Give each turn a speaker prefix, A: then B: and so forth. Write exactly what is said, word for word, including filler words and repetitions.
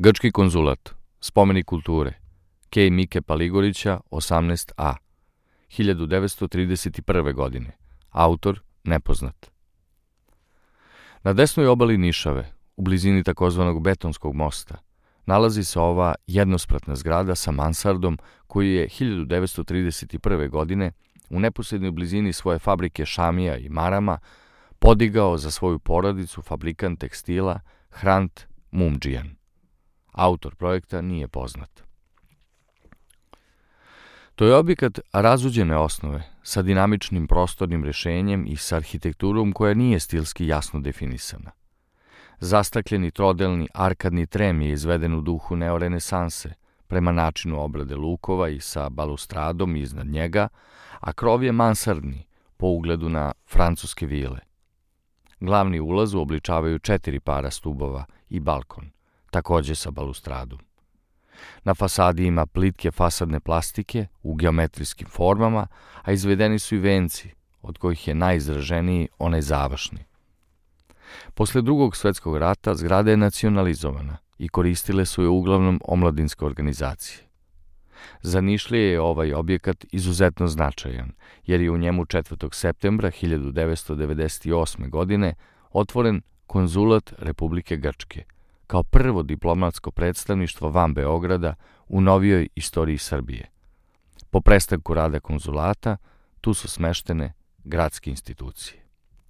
A: Grčki konzulat, spomenik kulture, Kej Mike Paligorića, osamnaest a, hiljadu devetsto trideset prve. godine, autor nepoznat. Na desnoj obali Nišave, u blizini takozvanog Betonskog mosta, nalazi se ova jednospratna zgrada sa mansardom koju je hiljadu devetsto trideset prve. godine u neposrednoj blizini svoje fabrike šamija i marama podigao za svoju porodicu fabrikant tekstila Hrant Mumdžijan. Autor projekta nije poznat. To je objekat razuđene osnove, sa dinamičnim prostornim rešenjem i sa arhitekturom koja nije stilski jasno definisana. Zastakljeni trodelni arkadni trem je izveden u duhu neorenesanse, prema načinu obrade lukova i sa balustradom iznad njega, a krov je mansardni, po ugledu na francuske vile. Glavni ulaz uobličavaju četiri para stubova i balkon, takođe sa balustradom. Na fasadi ima plitke fasadne plastike u geometrijskim formama, a izvedeni su i venci, od kojih je najizraženiji onaj završni. Posle drugog svetskog rata zgrada je nacionalizovana i koristile su je uglavnom omladinske organizacije. Za Nišlije je ovaj objekat izuzetno značajan, jer je u njemu četvrtog septembra hiljadu devetsto devedeset osme. godine otvoren konzulat Republike Grčke, kao prvo diplomatsko predstavništvo van Beograda u novijoj istoriji Srbije. Po prestanku rada konzulata, tu su smeštene gradske institucije.